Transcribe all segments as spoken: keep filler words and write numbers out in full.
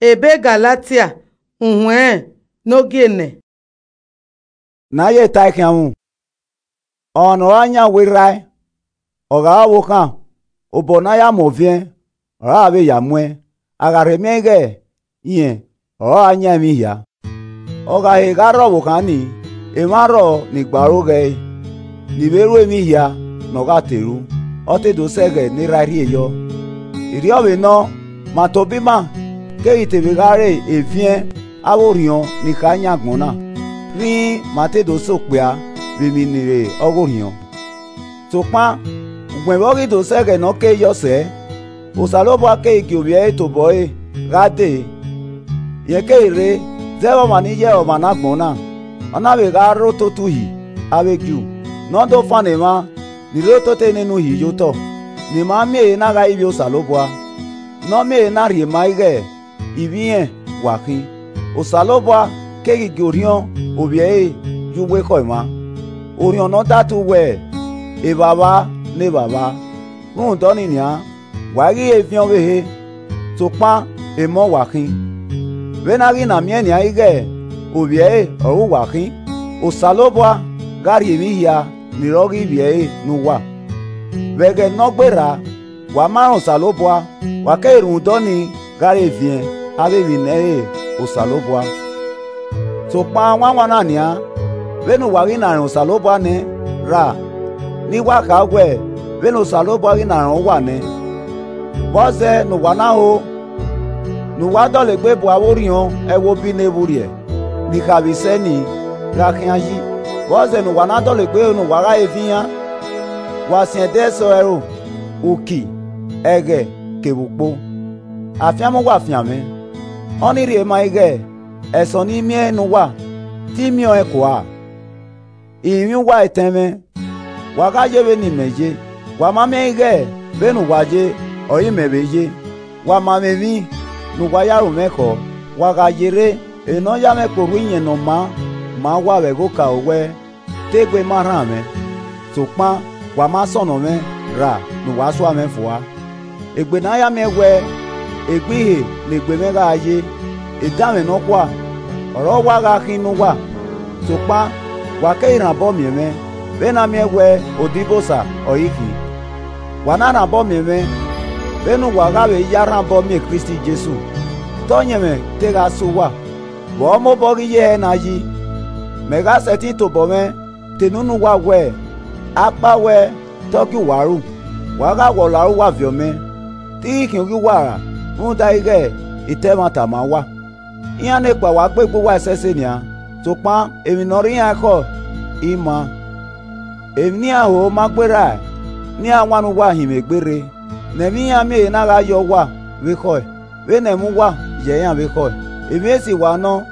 Ebe Galatia, uhuẹn ne ogie nẹ. Ne a ye ta khianmwu, ọmwa ne ọ ra yan wẹ erha, ọ gha re ọvbokhan, obọ ne a ya mu ọviẹn, ọre a vbe ya muẹn, a gha rhe miẹn ighẹ irẹn ọre ọ ra yan emwi hia. Ọ gha he gha rre ọvbokhan ni, emwa rrọọ ni gbe aro ghẹe, ni vbe ru emwi hia ne ọ gha te ru, ọ te do sẹ ẹghẹ ne erha rhie yọ. Erriọ vbe nọ, ma tobọ ima keghi te vbe gha re eviẹn avbe orhiọn ni kha yan agbọn na, rhinrin ma te do sẹ okpia vbe emwi ni re ọghe orhiọn. Sokpan ugbẹn vbe ọ ghi do sẹ ẹghẹ ne ọ kere yọ sẹẹ, Osanobua keghi gie ovbi ẹre tobọ ẹre gha dee, rẹn keghi rre zẹ vbe ọmwa ni ye ọmwa ne agbọn na, ọ na vbe gha rre ototọ Uhi avbe Ju, ne ọ do fannọ emwa ni rre ototọ nene Uhi ye otọ, ne ima miẹn ehe na gha ivbi Osanobua, ne ọ miẹn ehe na rhie maa ighẹ ivbi irẹn wa khin. Osanobua keghi gie orhiọn ovbi ẹre ye uwu ekhọe mwa, orhiọn ne ọ datu wẹẹ, Evbavba ne Evbavba. Rhunmwuda ọnii nian, wa i ghi he eviẹn ọvbehe, sokpan emọ wa khin. Vbene a ghi na miẹn nian ighẹ ovbi ẹre ọre uwa khin, Osanobua gha rhie emwi hia ni re ọghe ivbi ẹre ne uwa. Vbe ẹghẹ ne ọ gberra, wa ma rẹn Osanobua, wa keghi rhunmwuda ọnii gha re eviẹn avbe emwi ne ẹ i re Osanobua. Sokpan wanwan na nian, vbene uwa ghi na rẹn Osanobua nẹ ra, ne I wa kha wẹ vbene Osanobua ghi na rẹn uwa nẹ, vbọzẹ ne uwa na ho, ne uwa dọlegbe bu avbe orhiọn ẹvbo bi ne vburriẹ, ni kha vbe sẹ ni gha khian yi? Vbọzẹ ne uwa na dọlegbe ne uwa gha he eviẹn iran? Wa siẹn ẹdẹ ẹsọhẹ ẹro, uki, ẹghẹ kevbe ukpo. Afianma uwa fian mwẹ, ọnii rhie maa ighẹ ẹsọn ne I miẹn ne uwa, te I miẹn ọẹn kua-a. I rinmwian uwa etẹn mwẹ, wa gha ye vbene imẹ ye. Wa ma miẹn ighẹ vbene uwa ye, ọre imẹ vbe ye. Wa ma mwẹ emwi ne uwa ya ru mwẹ khọ. Wa gha yerre, emwi ne ọ ya mwẹ kpe orhu iyẹn ne ọ maa ma uwa vbe ẹghẹ okaro wẹẹ, te egbe ma rhan mwẹ, sokpan wa ma sọnnọ mwẹ ra ne uwa sua mwẹ fua. Egbe ne a ya miẹn wẹẹ, egbe ihe ne egbe mwẹ gha ye, edanmwẹ nọkhua ọre ọ wa gha khin ne uwa, sokpan wa keghi rhan obọ miẹn mwẹ, vbene a miẹn wẹẹ odibosa ọre I khin. Wa na rhan obọ miẹn mwẹ, vbene uwa gha vbe ya rhan obọ miẹn Kristi Jesu, te ọyẹnmwẹ te gha sẹ uwa, vbe ọ mobọ ghi ye hẹ na yi. Mẹ gha sẹtin tobọ mwẹ ta enu ne uwa wẹẹ, akpawẹ te ọ gie uwa ru, wa gha wẹ ọla uwa viọ mẹ, te I ghi khian oghian uwa ra rhunmwuda ighẹ I ta ẹmwata ma uwa. Iran nekpa wa gbe egbe uwa ẹsẹse nian, sokpan emwi ne ọ rre iran ekhọe, I maa. Emwi ne iran ho ma gberra ne iran wan ne uwa hin mwẹ egbe rre, ne ẹmwẹ iran miẹn ehe na gha yọ uwa vbe ekhọe, vbene ẹmwẹ uwa yẹ iran vbe ekhọe. Emwi esi wa nọ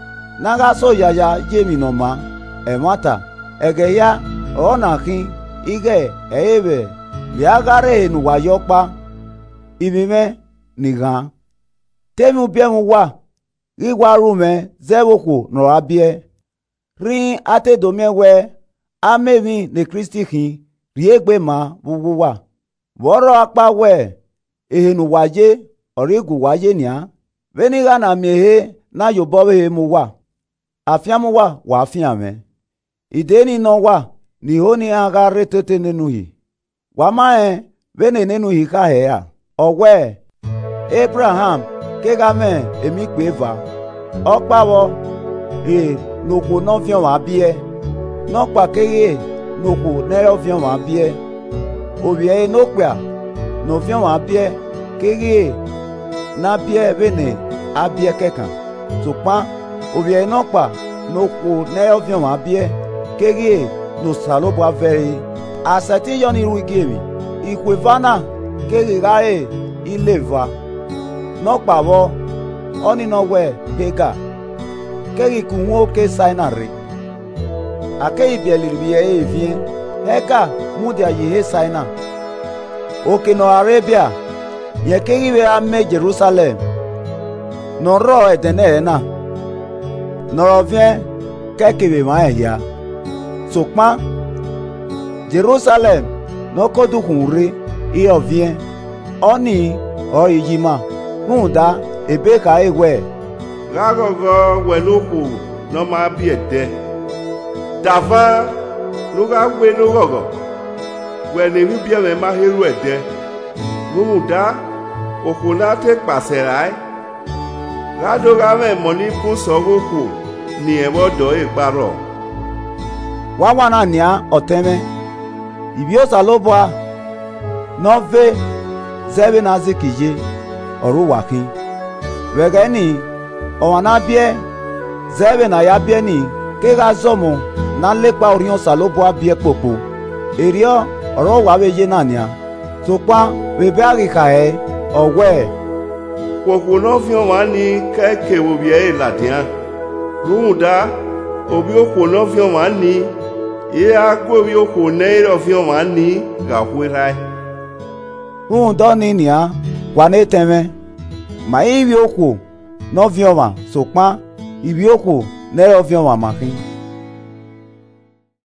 ne a gha so yaya ye emwi ne ọ maa, ẹmwata. Ẹghẹ hia ọre ọ na khin ighẹ ẹ i re vbe a gha rre ehe ne uwa ye ọkpa, ivbi mwẹ ni ghan. Te emwi ubiẹmwẹ uwa ghi wa ru mwẹ zẹ vbe okhuo ne ọ ra biẹ, rhinrin a te do miẹn wẹẹ, a ma emwi ne Kristi khin rhie egbe maa vbe uwu uwa. Vbe ọ rrọọ akpawẹ ehe ne uwa ye ọre I gu uwa ye nian, vbene I gha na miẹn ehe na ye obọ ọvbehe mu uwa, afianma uwa wa fian mwẹ. I de ni nọ uwa ne I ho ne iran gha rre tota nene Uhi. Wa ma rẹn vbene nene Uhi kha hẹ ra, ọ wẹẹ, Ebraham kegha mwẹ emọ ikpia eva, ọkpa vbọ, ghe ne okhuo ne ọ viọ mwa biẹ, nọkpa keghe ne okhuo ne ẹ i re ọviọnmwa biẹ. Ovbi ẹre ne okpia ne ọ viọ mwa biẹ keghe ne a biẹ vbene a biẹ kẹkan, sokpan ovbi ẹre nọkpa ne okhuo ne ẹ i re ọviọnmwa biẹ keghe ne Osanobua vẹ ẹre. A sẹtin ya ọnii ru igiemwi, ikhuo eva na keghi gha re ile eva. Nọkpa vbọ, ọnii nọ wẹẹ Hega, keghi ke uhunmwu oke Saina rre. A keghi biẹlẹ ivbi ẹre eviẹn, Hega mudia ye ehe Saina. Oke ne ọ ra rre Ebia, rẹn keghi vbe ra mẹ Jerusalẹm ne ọ rrọọ ẹdẹnẹrẹ na, ne ọ rọ viẹn ke ẹke vbe emwa rẹn hia. Sokpan Jerusalẹm ne ọ ke odukhunmwu rre, iran ọviẹn, ọnii ọre iyi ima, rhunmwuda ebe khare wẹẹ, Gha ghọghọ wẹ ne okhuo ne ọ ma biẹ ẹdẹ, davan ne u gha wẹ ne oghọghọ wẹ ne emwi ibiẹmwẹ ma he ru ẹdẹ. Rhunmwuda, okhuo ne a te ekpa sẹ rae, gha do gha mwẹ emọ ni bun sẹ ọghe okhuo ne irẹn vbe ọdọ ẹre gba rrọọ. Wanwan na nian, ọtẹn mwẹ, ivbi Osanobua ne ọ ve zẹ vbene Aizik ye, ọre uwa khin. Vbe ẹghẹ nii, ọmwa ne a biẹ zẹ vbene a ya biẹ nii, kegha zọmọ ne a la ekpa Orhiọn Osanobua biẹ kpokpo. Erriọ ọre ọ wa vbe ye na nian. Sokpan vbe ebe a ghi kha hẹ, ọ wẹẹ, Khuo okhuo ne ọ viọ mwa nii ke ẹe ke vbe ovbi ẹre ladian, rhunmwuda, ovbi okhuo ne ọ viọ mwa nii, i ra gu ovbi okhuo ne ẹ i re ọviọnmwa nii gha okhuo erhae. Rhunmwuda ọnii nian, wa ne etẹn mwẹ, ma i ivbi okhuo ne ọ viọ mwa, sokpan ivbi okhuo ne ẹ i re ọviọnmwa ma khin.